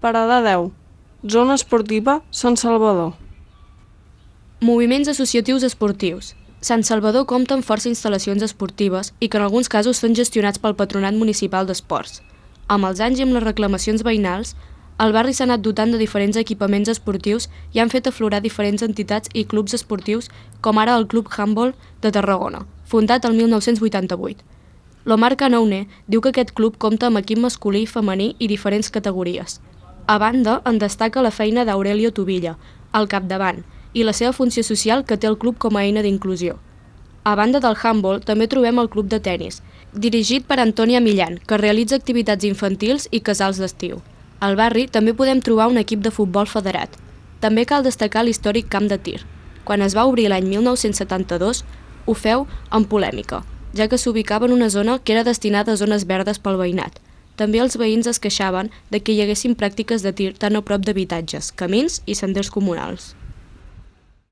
Parada 10. Zona esportiva Sant Salvador. Moviments associatius esportius. Sant Salvador compta amb força instal·lacions esportives i que en alguns casos són gestionats pel Patronat Municipal d'Esports. Amb els anys i amb les reclamacions veïnals, el barri s'ha anat dotant de diferents equipaments esportius i han fet aflorar diferents entitats i clubs esportius, com ara el Club Handbol de Tarragona, fundat el 1988. L'Omar Canoune diu que aquest club compta amb equip masculí i femení i diferents categories. A banda, en destaca la feina d'Aurelio Tubilla, al capdavant, i la seva funció social que té el club com a eina d'inclusió. A banda del handbol, també trobem el club de tennis, dirigit per Antònia Millán, que realitza activitats infantils i casals d'estiu. Al barri també podem trobar un equip de futbol federat. També cal destacar l'històric camp de tir. Quan es va obrir l'any 1972, ho feu amb polèmica, ja que s'ubicava en una zona que era destinada a zones verdes pel veïnat. També els veïns es queixaven de que hi haguessin pràctiques de tir tan a prop d'habitatges, camins i senders comunals.